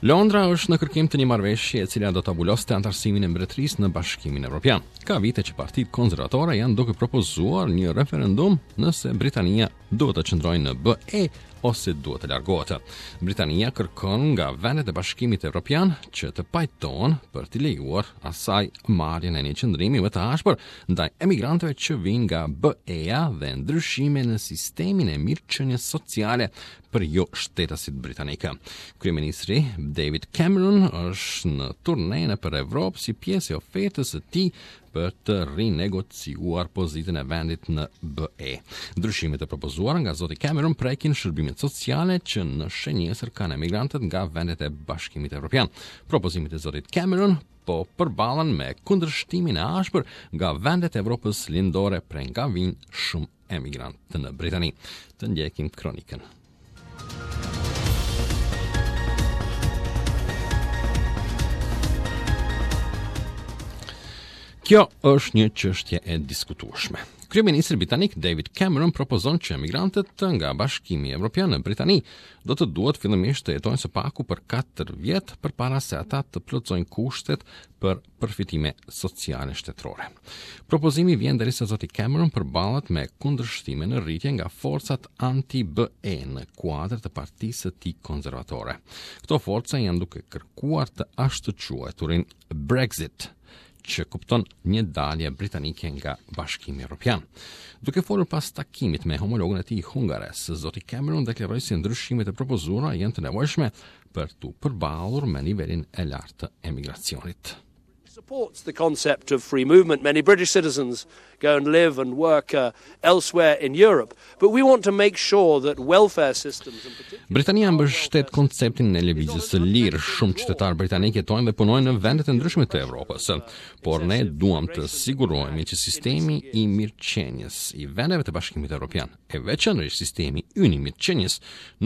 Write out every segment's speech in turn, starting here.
Londra është në kërkim të një marrëveshje e cila do ta vuloste anëtarësimin e mbretërisë në Bashkimin Evropian. Ka vite që partitë konservatore janë duke propozuar një referendum nëse Britania duhet të qëndrojë në BE ose duhet të largohet. Britania kërkon nga vendet e Bashkimit Evropian që të pajtohen për t'i lejuar asaj marrjen e një qëndrimi më të ashpër ndaj emigrantëve që vijnë nga BE-ja dhe ndryshime në sistemin e mirëqenies sociale për jo shtetasit britanikë. Kryeministri David Cameron është në turne nëpër Evropë si pjesë e ofertës së tij për të rinegociuar pozitën e vendit në BE. Ndryshimet e propozuara nga zoti Cameron prekin shërbimet sociale që në shënjestër kanë emigrantët nga vendet e Bashkimit Evropian. Propozimet e zotit Cameron po përballen me kundërshtimin e ashpër nga vendet e Evropës Lindore prej nga vijnë shumë emigrantë në Britani. Të ndjekim kronikën. Kjo është një çështje e diskutueshme. Kryeministri britanik David Cameron propozon që emigrantët nga Bashkimi Evropian në Britani do të duhet fillimisht të jetojnë së paku për 4 vjet përpara se ata të plotësojnë kushtet për përfitime sociale shtetërore. Propozimi vjen derisa zoti Cameron përballet me kundërshtime në rritje nga forcat anti-BE në kuadër të partisë së tij konservatore. Këto forca janë duke kërkuar të ashtuquajturin Brexit, që kupton një dalje britanike nga Bashkimi Evropian. Duke folur pas takimit me homologun e tij hungarez, zoti Cameron deklaroi se ndryshimet e propozuara janë të nevojshme për t'u përballur me nivelin e lartë të emigracionit. Supports the concept of free movement. Many British citizens go and live and work uh, elsewhere in Europe. But we want to make sure that welfare systems in particular Britania mbështet konceptin e lëvizjes së lirë. Shumë qytetarë britanikë jetojnë dhe punojnë në vendet e ndryshme të Evropës. Por ne duam të sigurohemi që sistemi i mirëqenies i vendeve të Bashkimit Evropian, e veçanërisht sistemi ynë i mirëqenies,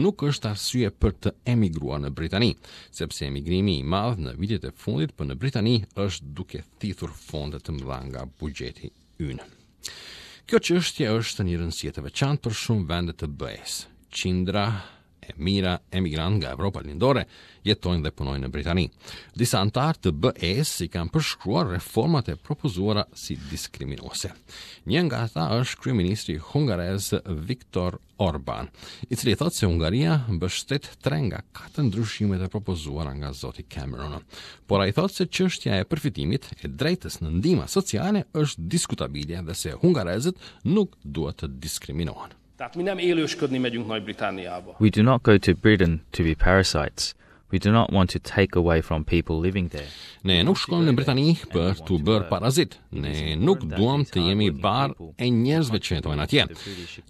nuk është arsye për të emigruar në Britani, sepse emigrimi i madh në vitet e fundit për në Britani është duke thithur fonde të mëdha nga buxheti ynë. Kjo çështje është e një rëndësie të veçantë për shumë vende të BE-së. Qindra e mijëra emigrantë nga Evropa Lindore jetojnë dhe punojnë në Britani. Disa anëtarë të BE-së i kanë përshkruar reformat e propozuara si diskriminuese. Një nga ata është kryeministri hungarez Viktor Orban, i cili thotë se Hungaria mbështet tre nga katër ndryshimet e propozuara nga zoti Cameron. Por ai thotë se çështja e përfitimit e drejtës në ndihma sociale është diskutabile dhe se hungarezët nuk duhet të diskriminohen. Tehát mi nem élősködni megyünk Nagy-Britanniába. We do not go to Britain to be parasites. We do not want to take away from people living there. Ne nuk shkojmë në Britani për t'u bërë parazit. Ne nuk duam të jemi barrë e njerëzve që jetojnë atje.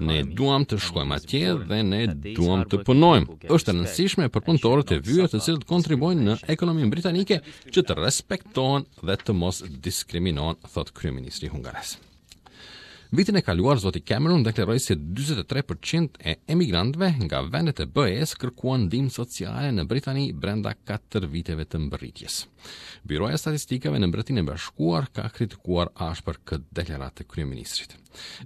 Ne duam të shkojmë atje dhe ne duam të punojmë. Është e rëndësishme për punëtorët e vyer të cilët kontribuojnë në ekonominë britanike që të respektohen dhe të mos diskriminohen, thotë kryeministri hungarez. Vitin e kaluar, zoti Cameron deklaroi se 43% e emigrantëve nga vendet e BE-së kërkuan ndihmë sociale në Britani brenda 4 viteve të mbërritjes. Byroja e Statistikave në Mbretërinë e Bashkuar ka kritikuar ashpër këtë deklaratë të kryeministrit.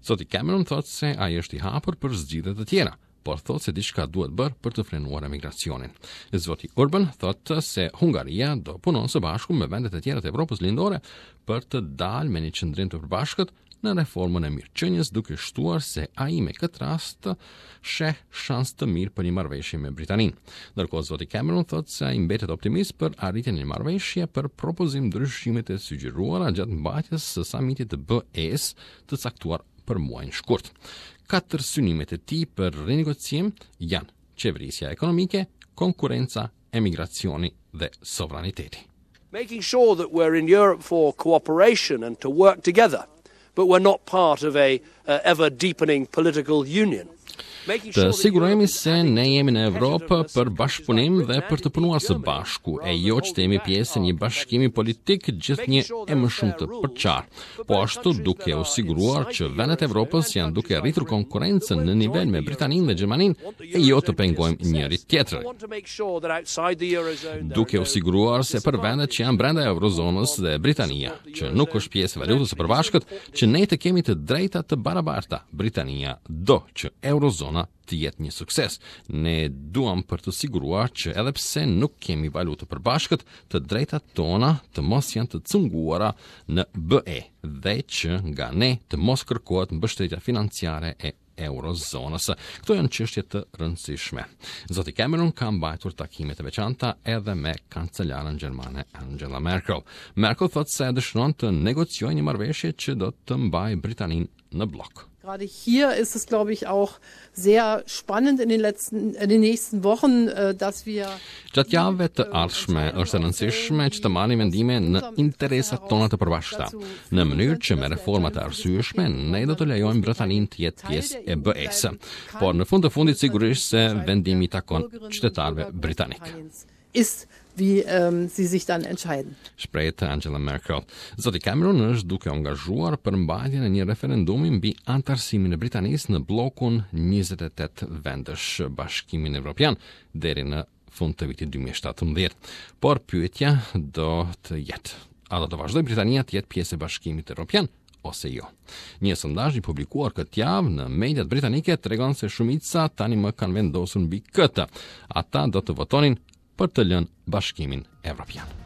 Zoti Cameron thotë se ai është i hapur për zgjidhje të tjera, por thotë se diçka duhet bërë për të frenuar emigracionin. Zoti Orban thotë se Hungaria do punon së bashku me vendet e tjera të Evropës Lindore për të dalë me një qëndrim të përbashkët në reformën e mirëqenies, duke shtuar se ai me këtë rast sheh shans të mirë për një marrëveshje me Britaninë. Ndërkohë zoti Cameron thotë se ai mbetet optimist për arritjen e një marrëveshje për propozim ndryshimet e sugjeruara gjatë mbajtjes së samitit të BE-së të caktuar për muajin shkurt. Katër synimet e tij për rinegocim janë qeverisja ekonomike, konkurrenca, emigracioni dhe sovraniteti. Making sure that we're in Europe for cooperation and to work together, but we're not part of a uh, ever deepening political union. Të sigurohemi se ne jemi në Evropë për bashkëpunim dhe për të punuar së bashku, e jo që të jemi pjesë e një bashkimi politik gjithnjë e më shumë të përçarë. Po ashtu duke u siguruar që vendet e Evropës janë duke rritur konkurrencën në nivel me Britaninë dhe Gjermaninë e jo të pengojmë njëri tjetrin. Duke u siguruar se për vendet që janë brenda eurozonës dhe Britania, që nuk është pjesë e valutës së përbashkët, që ne të kemi të drejta të barabarta. Britania do që eurozona. Eurozona të jetë një sukses. Ne duam për të siguruar që edhe pse nuk kemi valutë të përbashkët, të drejtat tona të mos janë të cunguara në BE dhe që nga ne të mos kërkohet mbështetja financiare e eurozonës. Këto janë çështje të rëndësishme. Zoti Cameron ka mbajtur takime të veçanta edhe me kancelaren gjermane Angela Merkel. Merkel thotë se dëshiron të negociojë një marrëveshje që do të mbajë Britaninë në bllok. Gerade hier ist es, glaube ich, auch sehr spannend in den letzten, in den nächsten Wochen, äh, dass wir Gjatë javëve të ardhshme është e rëndësishme që të marrim vendime në interesat tona të përbashkëta, në mënyrë që me reforma të arsyeshme ne do të lejojmë Britaninë të jetë pjesë e BE-së. Por në fund të fundit sigurisht se vendimi i takon qytetarëve britanikë. Ist wie ähm, sie sich dann entscheiden. Shprehet Angela Merkel. Zoti Cameron është duke u angazhuar për mbajtjen e një referendumi mbi anëtarësimin e Britanisë në bllokun 28 vendësh Bashkimin Evropian deri në fund të vitit 2017. Por pyetja do të jetë, a do të vazhdojë Britania të jetë pjesë e Bashkimit Evropian ose jo? Një sondazh i publikuar këtë javë në mediat britanike tregon se shumica tani më kanë vendosur mbi këtë. Ata do të votonin për të lënë Bashkimin Evropian.